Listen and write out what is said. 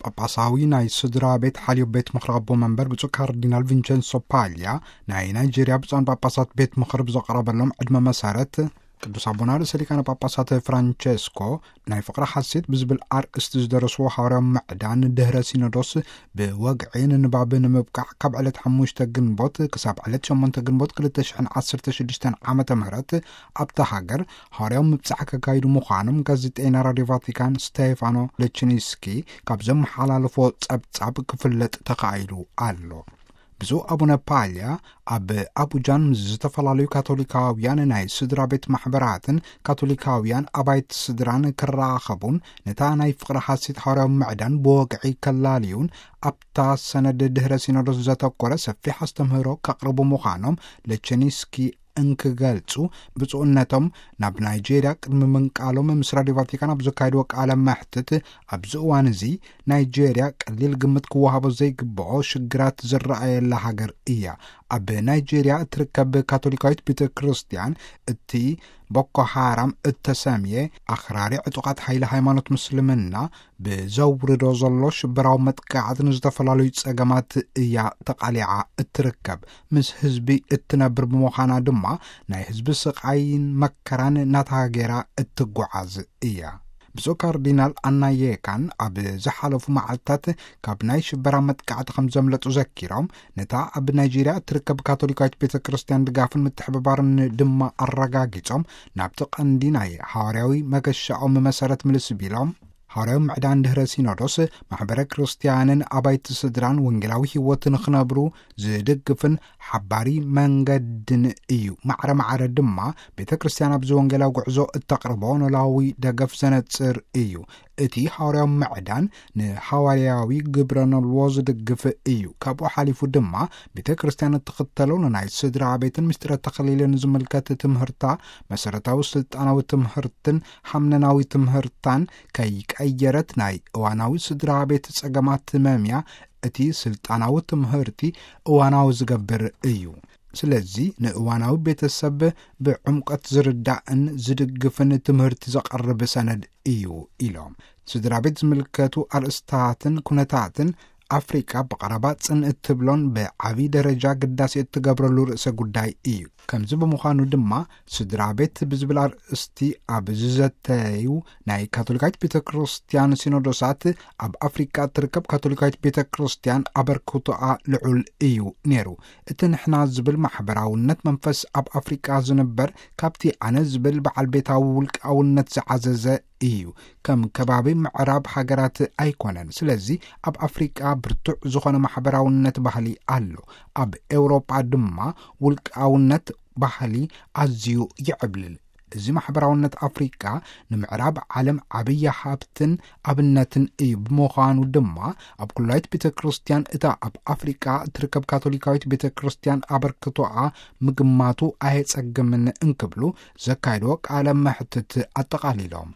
ጳጳሳዊ ናይ ስድራ ቤት ሓልዮ ቤት ምኽሪ ኣቦ መንበር ብፁዕ ካርዲናል ቪንቸንሶ ፓልያ፣ ናይ ናይጄርያ ብፁዓን ጳጳሳት ቤት ምኽሪ ብዘቕረበሎም ዕድመ መሰረት፣ ቅዱስ ኣቦና ርእሰ ሊቃነ ጳጳሳት ፍራንቸስኮ ናይ ፍቕሪ ሓሴት ብዝብል ኣርእስቲ ዝደረስዎ ሃዋርያዊ ምዕዳን ድህረ ሲኖዶስ ብወግዒ ንንባብ ንምብቃዕ ካብ ዕለት ሓሙሽተ ግንቦት ክሳብ ዕለት ሸሞንተ ግንቦት ክልተ ሽሕን ዓሰርተ ሽዱሽተን ዓመተ ምህረት ኣብታ ሃገር ሃዋርያዊ ምብጻሕ ከካይዱ ምዃኖም ጋዜጠኛ ራድዮ ቫቲካን ስቴፋኖ ሌችኒስኪ ካብ ዘመሓላለፎ ጸብጻብ ክፍለጥ ተኻኢሉ ኣሎ። ብፁዕ ኣቡነ ፓልያ ኣብ ኣቡጃን ምስ ዝተፈላለዩ ካቶሊካውያን ናይ ስድራ ቤት ማሕበራትን ካቶሊካውያን ኣባይቲ ስድራን ክራኸቡን ነታ ናይ ፍቕሪ ሓሴት ሃዋርያዊ ምዕዳን ብወግዒ ከላልዩን ኣብታ ሰነድ ድህረ ሲኖዶስ ዘተኮረ ሰፊሕ ኣስተምህሮ ከቕርቡ ምዃኖም ሌችኒስኪ እንክገልጹ፣ ብፁዕነቶም ናብ ናይጄርያ ቅድሚ ምንቃሎም ምስ ራድዮ ቫቲካን ኣብ ዘካየድዎ ቃለ መሕትት፣ ኣብዚ እዋን እዚ ናይጄርያ ቀሊል ግምት ክወሃቦ ዘይግብኦ ሽግራት ዝረኣየላ ሃገር እያ። ኣብ ናይጄርያ እትርከብ ካቶሊካዊት ቤተ ክርስቲያን እቲ ቦኮ ሃራም እተሰምየ ኣኽራሪ ዕጡቓት ሓይሊ ሃይማኖት ምስልምና ብዘውርዶ ዘሎ ሽበራዊ መጥቃዕትን ዝተፈላለዩ ጸገማት እያ ተቓሊዓ እትርከብ። ምስ ህዝቢ እትነብር ብምዃና ድማ ናይ ህዝቢ ስቓይን መከራን ናታ ገይራ እትጓዓዝ እያ። ብፁዕ ካርዲናል ኣናየካን ኣብ ዝሓለፉ መዓልታት ካብ ናይ ሽበራ መጥቃዕቲ ከም ዘምለጡ ዘኪሮም፣ ነታ ኣብ ናይጄርያ እትርከብ ካቶሊካዊት ቤተ ክርስቲያን ድጋፍን ምትሕብባርን ድማ ኣረጋጊጾም፣ ናብቲ ቀንዲ ናይ ሃዋርያዊ መገሻኦም መሰረት ምልስ ቢሎም፣ ሃዋርያዊ ምዕዳን ድህረ ሲኖዶስ ማሕበረ ክርስቲያንን ኣባይቲ ስድራን ወንጌላዊ ህይወት ንኽነብሩ ዝድግፍን ሓባሪ መንገድን እዩ። ማዕረ ማዕረ ድማ ቤተ ክርስቲያን ኣብዚ ወንጌላዊ ጉዕዞ እተቕርቦ ኖላዊ ደገፍ ዘነጽር እዩ። እቲ ሃዋርያዊ ምዕዳን ንሃዋርያዊ ግብረ ኖልዎ ዝድግፍ እዩ። ካብኡ ሓሊፉ ድማ ቤተ ክርስቲያን እትኽተሎ ንናይ ስድራ ቤትን ምስጢረ ተኽሊልን ዝምልከት ትምህርታ፣ መሰረታዊ ስልጣናዊ ትምህርትን ሃምነናዊ ትምህርታን ከይቀየረት ናይ እዋናዊ ስድራ ቤት ጸገማት መምያ እቲ ስልጣናዊ ትምህርቲ እዋናዊ ዝገብር እዩ። ስለዚ ንእዋናዊ ቤተሰብ ብዕምቀት ዝርዳእን ዝድግፍን ትምህርቲ ዘቐርብ ሰነድ እዩ ኢሎም። ስድራ ቤት ዝምልከቱ ኣርእስታትን ኩነታትን ኣፍሪቃ ብቐረባ ጽን እትብሎን ብዓቢ ደረጃ ግዳሴ እትገብረሉ ርእሰ ጉዳይ እዩ። ከምዚ ብምዃኑ ድማ ስድራ ቤት ብዝብል ኣርእስቲ ኣብ ዝዘተዩ ናይ ካቶሊካዊት ቤተ ክርስቲያን ሲኖዶሳት ኣብ ኣፍሪቃ እትርከብ ካቶሊካዊት ቤተ ክርስቲያን ኣበርክቶኣ ልዑል እዩ ነይሩ። እቲ ንሕና ዝብል ማሕበራውነት መንፈስ ኣብ ኣፍሪቃ ዝንበር ካብቲ ኣነ ዝብል በዓል ቤታዊ ውልቃውነት ዝዓዘዘ እዩ። ከም ከባቢ ምዕራብ ሃገራት ኣይኮነን። ስለዚ ኣብ ኣፍሪቃ ብርቱዕ ዝኾነ ማሕበራውነት ባህሊ ኣሎ። ኣብ ኤውሮጳ ድማ ውልቃውነት ባህሊ ኣዝዩ ይዕብልል። እዚ ማሕበራውነት ኣፍሪቃ ንምዕራብ ዓለም ዓብዪ ሃብትን ኣብነትን እዩ። ብምዃኑ ድማ ኣብ ኩላይት ቤተ ክርስቲያን እታ ኣብ ኣፍሪቃ እትርከብ ካቶሊካዊት ቤተ ክርስቲያን ኣበርክቶኣ ምግማቱ ኣየጸግምን እንክብሉ ዘካየድዎ ቃለ መሕትት ኣጠቓሊሎም።